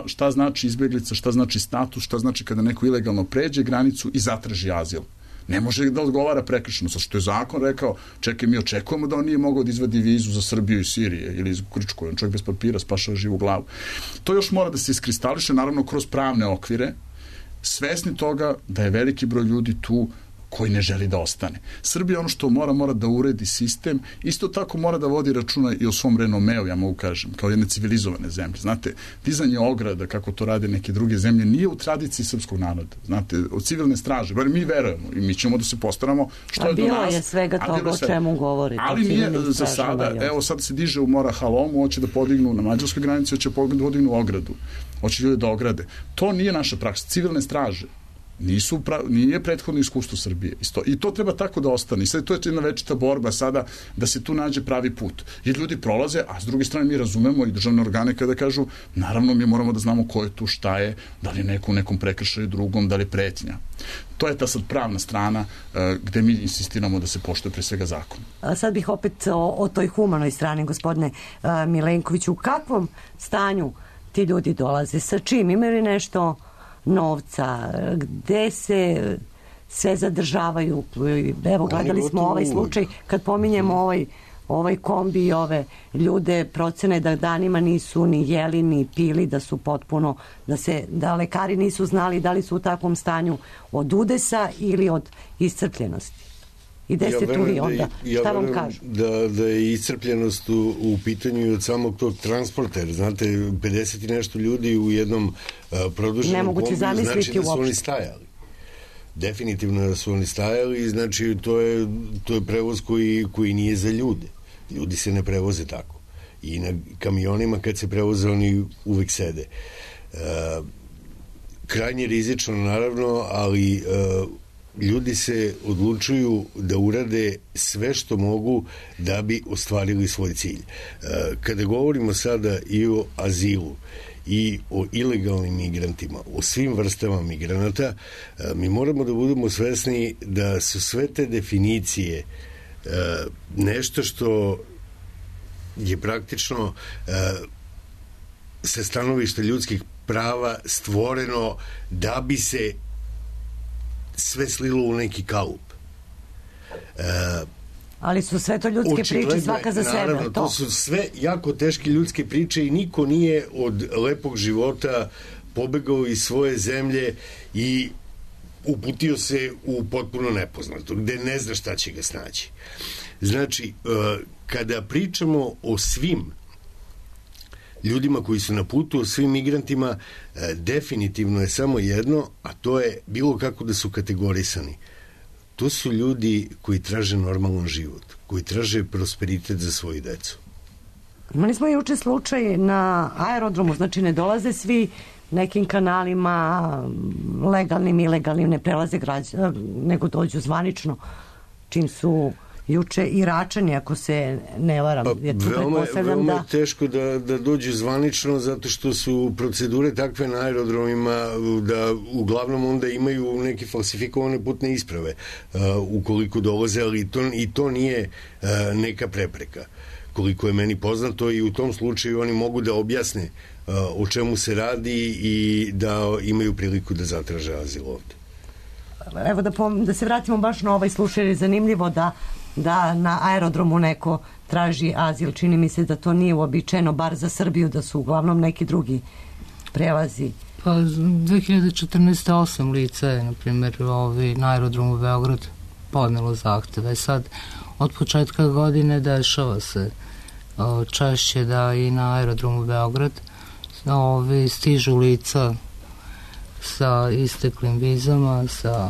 šta znači izbeglica, šta znači status, šta znači kada neko ilegalno pređe granicu i zatraži azil. Ne može da odgovara prekršeno, sa što je zakon rekao, čekaj, mi očekujemo da on nije mogao da izvadi vizu za Srbiju i Sirije ili iz Grčkoj, on čovjek bez papira spašava živu glavu. To još mora da se iskristališe, naravno kroz pravne okvire, svesni toga da je veliki broj ljudi tu koji ne želi da ostane. Srbija ono što mora da uredi sistem, isto tako mora da vodi računa i o svom renomeu, ja mogu kažem, kao jedne civilizovane zemlje. Znate, dizanje ograda, kako to rade neke druge zemlje, nije u tradiciji srpskog naroda. Znate, od civilne straže, bar mi verujemo i mi ćemo da se postaramo što je do nas. A bilo je svega toga o čemu govorite. Ali nije za sada, evo sad se diže u Mora Halomu, hoće da podignu na mađarskoj granici, hoće da podignu ogradu, hoće ljudi da ograde. To nije naša praksa, civilne straže. Nije prethodno iskustvo Srbije. I to treba tako da ostane. I sad to je jedna večita borba sada da se tu nađe pravi put. Jer ljudi prolaze, a s druge strane mi razumemo i državne organe kada kažu, naravno mi moramo da znamo ko je tu, šta je, da li je neko u nekom prekršaju drugom, da li je pretnja. To je ta sad pravna strana gde mi insistiramo da se poštuje pre svega zakon. Sad bih opet o toj humanoj strani, gospodine Milenkoviću. U kakvom stanju ti ljudi dolaze? Sa čim? Imaju li nešto novca, gde se sve zadržavaju? Evo, gledali smo ovaj slučaj, kad pominjemo ovaj kombi i ove ljude, procene da danima nisu ni jeli, ni pili, da su potpuno, da lekari nisu znali da li su u takvom stanju od udesa ili od iscrpljenosti. I gde ste tu vi onda? Šta vam kažu? Da je iscrpljenost u pitanju od samog tog transporta, jer znate, 50 i nešto ljudi u jednom produženom kombiju, znači da su oni stajali. Definitivno da su oni stajali, znači to je prevoz koji nije za ljude. Ljudi se ne prevoze tako. I na kamionima kad se prevoze oni uvek sede. Krajnje rizično naravno, ali ljudi se odlučuju da urade sve što mogu da bi ostvarili svoj cilj. Kada govorimo sada i o azilu i o ilegalnim migrantima, o svim vrstama migranata, mi moramo da budemo svesni da su sve te definicije nešto što je praktično sa stanovišta ljudskih prava stvoreno da bi se sve slilo u neki kalup. Ali su sve to ljudske priče, svaka za sebe. Naravno, to su sve jako teške ljudske priče i niko nije od lepog života pobegao iz svoje zemlje i uputio se u potpuno nepoznato, gde ne zna šta će ga snaći. Znači, kada pričamo o svim ljudima koji su na putu, o svim migrantima, definitivno je samo jedno, a to je bilo kako da su kategorisani. To su ljudi koji traže normalan život, koji traže prosperitet za svoju decu. Imali smo juče slučaj na aerodromu, znači ne dolaze svi nekim kanalima, legalnim, ilegalnim, ne prelaze nego dođu zvanično, čim su juče i Račani, ako se ne varam. Veoma je teško da dođu zvanično, zato što su procedure takve na aerodromima da uglavnom onda imaju neke falsifikovane putne isprave ukoliko dolaze, ali i to nije neka prepreka. Koliko je meni poznato, i u tom slučaju oni mogu da objasne o čemu se radi i da imaju priliku da zatraže azil ovde. Evo da se vratimo baš na ovaj slučaj, jer je zanimljivo da na aerodromu neko traži azil. Čini mi se da to nije uobičajeno, bar za Srbiju, da su uglavnom neki drugi prelazi. Pa 2014. 8 lica je, na primjer, na aerodromu Beograd podnelo zahteve. Sad, od početka godine dešava se češće da i na aerodromu Beograd stižu lica sa isteklim vizama, sa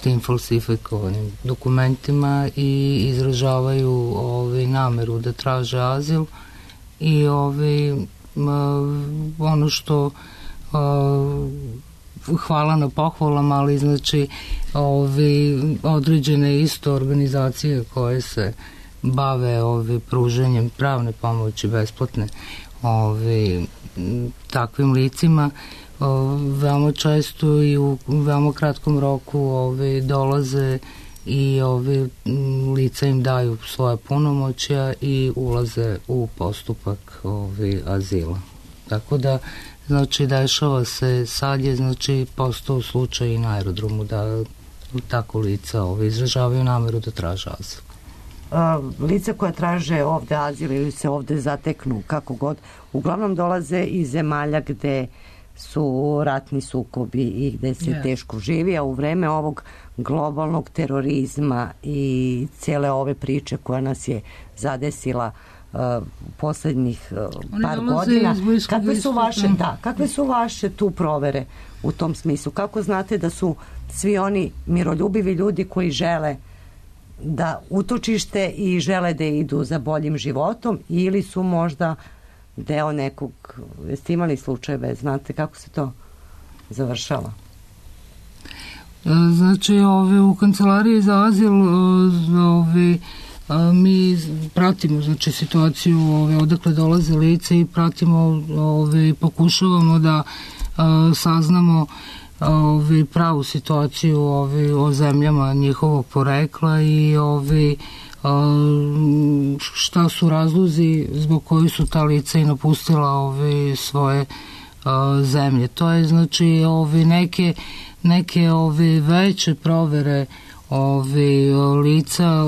tim falsifikovanim dokumentima i izražavaju nameru da traže azil i ono što hvala na pohvalama, ali znači određene isto organizacije koje se bave pruženjem pravne pomoći besplatne takvim licima veoma često i u veoma kratkom roku dolaze i lica im daju svoje punomoćja i ulaze u postupak azila. Tako da znači dešava se, sad je znači postao slučaj i na aerodromu da tako lica izražavaju nameru da traže azil. Lica koja traže ovde azil ili se ovde zateknu, kako god, uglavnom dolaze iz zemalja gde su ratni sukobi i gde se teško živi, a u vreme ovog globalnog terorizma i cele ove priče koja nas je zadesila poslednjih par godina, kakve su vaše tu provere u tom smislu? Kako znate da su svi oni miroljubivi ljudi koji žele da utočište i žele da idu za boljim životom, ili su možda deo nekog, jeste imali slučajeve, znate kako se to završava? Znači, u kancelariji za azil mi pratimo znači situaciju odakle dolaze lice i pratimo, pokušavamo da saznamo pravu situaciju o zemljama njihovog porekla i šta su razlozi zbog koji su ta lica i napustila svoje zemlje. To je znači neke veće provere lica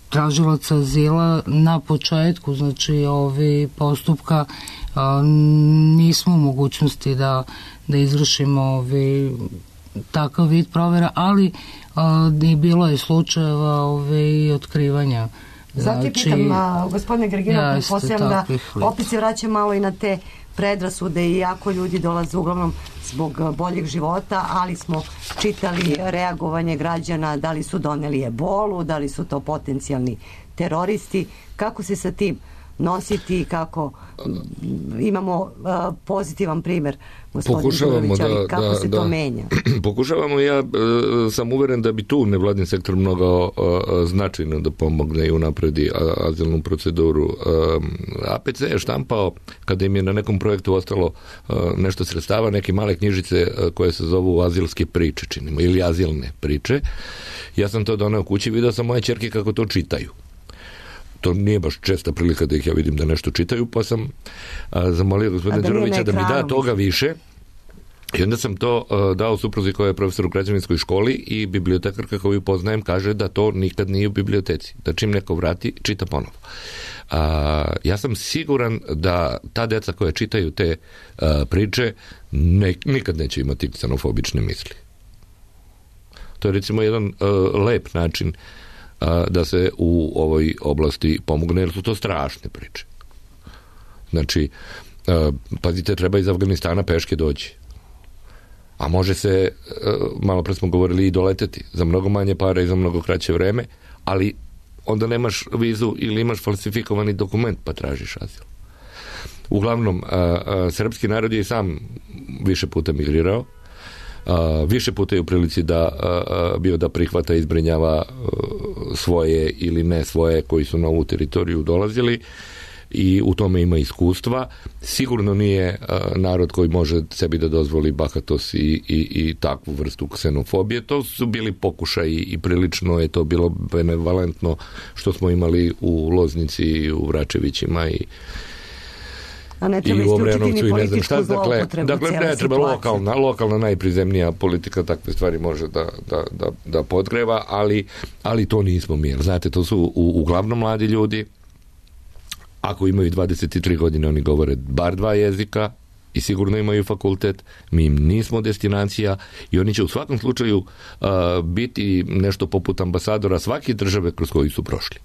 tražilaca azila na početku znači postupka nismo u mogućnosti da izvršimo takav vid provera, ali i bilo je slučajeva i otkrivanja. Zato je pitam, gospodine Grgina, pretpostavljam da opet se vraćam malo i na te predrasude, i jako ljudi dolaze uglavnom zbog boljeg života, ali smo čitali reagovanje građana, da li su doneli ebolu, da li su to potencijalni teroristi. Kako se sa tim nositi, kako imamo pozitivan primer, gospodin Đurović, ali kako se to menja? Pokušavamo, ja sam uveren da bi tu nevladin sektor mnogo značajno da pomogne i unapredi azilnu proceduru. APC je štampao, kada im je na nekom projektu ostalo nešto sredstava, neke male knjižice koje se zovu azilske priče, činimo, ili azilne priče. Ja sam to doneo kući, vidio sam moje ćerke kako to čitaju. To nije baš česta prilika da ih ja vidim da nešto čitaju, pa sam zamolio gospodina Đurovića da mi da toga više. I onda sam to dao supruzi koja je profesor u građevinskoj školi, i bibliotekarka koju poznajem kaže da to nikad nije u biblioteci. Da čim neko vrati, čita ponovo. Ja sam siguran da ta deca koja čitaju te priče nikad neće imati ksenofobične misli. To je recimo jedan lep način da se u ovoj oblasti pomogne, jer su to strašne priče. Znači, pazite, treba iz Afganistana peške doći. A može se, malo pre smo govorili, i doleteti za mnogo manje para i za mnogo kraće vreme, ali onda nemaš vizu ili imaš falsifikovani dokument pa tražiš azil. Uglavnom, srpski narod je i sam više puta migrirao. više puta je u prilici da bio da prihvata i zbrinjava svoje ili ne svoje koji su na ovu teritoriju dolazili i u tome ima iskustva. Sigurno nije narod koji može sebi da dozvoli bahatost i takvu vrstu ksenofobije. To su bili pokušaji i prilično je to bilo benevalentno što smo imali u Loznici, u Vračevićima i u Obrenovcu i ne znam šta. Dakle, ne treba lokalna najprizemnija politika takve stvari može da podgreva, ali to nismo mi. Znate, to su uglavnom mladi ljudi. Ako imaju 23 godine, oni govore bar 2 jezika i sigurno imaju fakultet. Mi im nismo destinacija i oni će u svakom slučaju biti nešto poput ambasadora svake države kroz koju su prošli.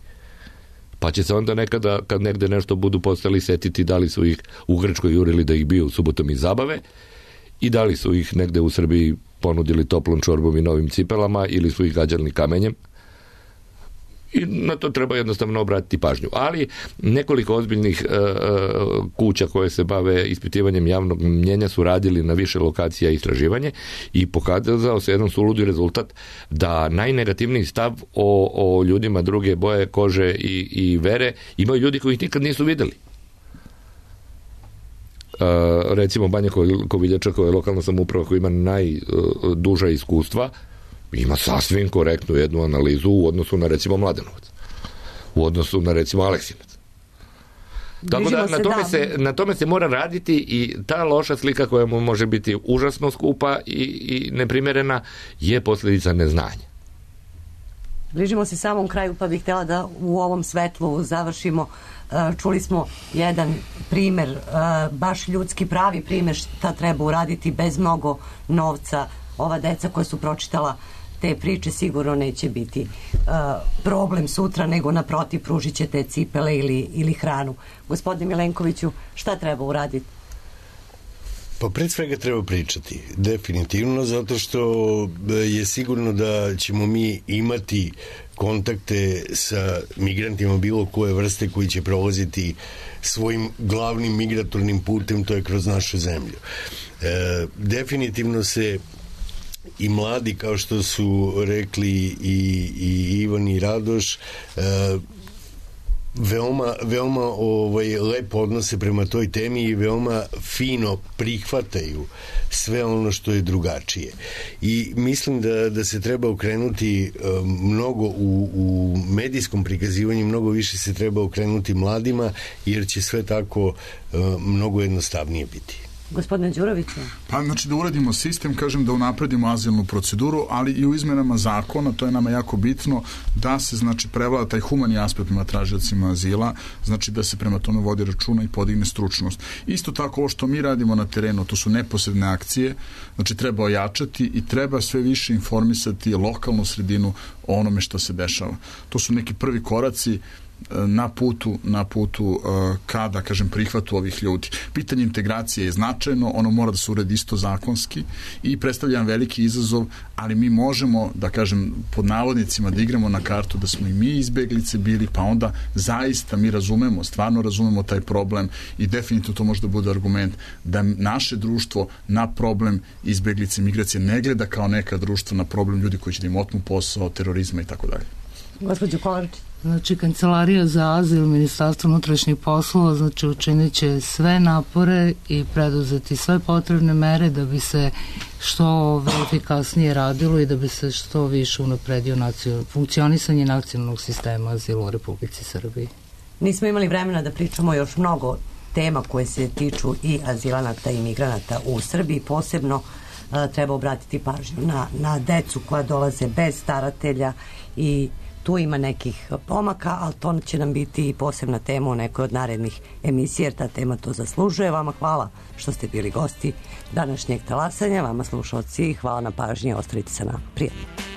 Pa će se onda nekada, kad negde nešto budu postali, setiti da li su ih u Grčkoj jurili da ih biju subotom iz zabave i da li su ih negde u Srbiji ponudili toplom čorbom i novim cipelama ili su ih gađali kamenjem. I na to treba jednostavno obratiti pažnju. Ali nekoliko ozbiljnih kuća koje se bave ispitivanjem javnog mnjenja su radili na više lokacija istraživanje i pokazao se jedan suludi rezultat da najnegativniji stav o ljudima druge boje kože i vere imaju ljudi koji ih nikad nisu videli. Recimo Banja Koviljača, koja je lokalna samouprava koja ima najduža iskustva, ima sasvim korektnu jednu analizu u odnosu na recimo Mladenovac, u odnosu na recimo Aleksinac. Tako da na tome se mora raditi i ta loša slika koja mu može biti užasno skupa i neprimjerena je posljedica neznanja. Bližimo se samom kraju, pa bih htjela da u ovom svetlu završimo. Čuli smo jedan primer, baš ljudski pravi primer šta treba uraditi bez mnogo novca. Ova deca koja su pročitala te priče sigurno neće biti problem sutra, nego naprotiv pružit će te cipele ili hranu. Gospodine Milenkoviću, šta treba uraditi? Pa pred svega treba pričati, definitivno, zato što je sigurno da ćemo mi imati kontakte sa migrantima bilo koje vrste koji će prolaziti svojim glavnim migratornim putem, to je kroz našu zemlju. Definitivno se i mladi, kao što su rekli i Ivan i Radoš, veoma lepo odnose prema toj temi i veoma fino prihvataju sve ono što je drugačije. I mislim da se treba okrenuti mnogo u medijskom prikazivanju, mnogo više se treba okrenuti mladima, jer će sve tako mnogo jednostavnije biti. Gospodine Đuroviću? Pa znači da uradimo sistem, kažem da unapredimo azilnu proceduru, ali i u izmenama zakona, to je nama jako bitno, da se znači prevlada taj humani aspekt prema tražiocima azila, znači da se prema tome vodi računa i podigne stručnost. Isto tako ovo što mi radimo na terenu, to su neposredne akcije, znači treba ojačati i treba sve više informisati lokalnu sredinu o onome što se dešava. To su neki prvi koraci na putu kada, kažem, prihvatu ovih ljudi. Pitanje integracije je značajno, ono mora da se uredi isto zakonski i predstavlja veliki izazov, ali mi možemo, da kažem, pod navodnicima da igramo na kartu da smo i mi izbeglice bili, pa onda zaista mi stvarno razumemo taj problem i definitivno to može da bude argument da naše društvo na problem izbeglice, migracije ne gleda kao neka društvo na problem ljudi koji će da im otmu posao, terorizma i tako dalje. Gospođo Kolarčić. Znači, Kancelarija za azil, Ministarstvo unutrašnjih poslova, znači učinit će sve napore i preduzeti sve potrebne mere da bi se što efikasnije radilo i da bi se što više unapredio funkcionisanje nacionalnog sistema azila u Republici Srbiji. Nismo imali vremena da pričamo još mnogo tema koje se tiču i azilanata i migranata u Srbiji. Posebno treba obratiti pažnju na decu koja dolaze bez staratelja i tu ima nekih pomaka, ali to će nam biti i posebna tema u nekoj od narednih emisija, jer ta tema to zaslužuje. Vama hvala što ste bili gosti današnjeg talasanja, vama slušalci, hvala na pažnji, ostavite se na prijatno.